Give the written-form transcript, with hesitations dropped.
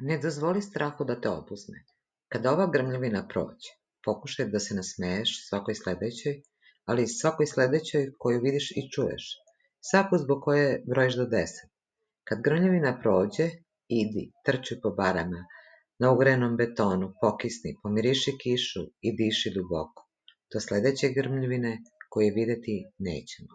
Ne dozvoli strahu da te obuzme. Kada ova grmljavina prođe, pokušaj da se nasmeješ svakoj sledećoj, ali i svakoj sledećoj koju vidiš i čuješ, svaku zbog koje brojiš do 10. Kad grmljavina prođe, idi, trči po barama, na ugrenom betonu, pokisni, pomiriši kišu i diši duboko. Do sledeće grmljavine koju videti nećemo.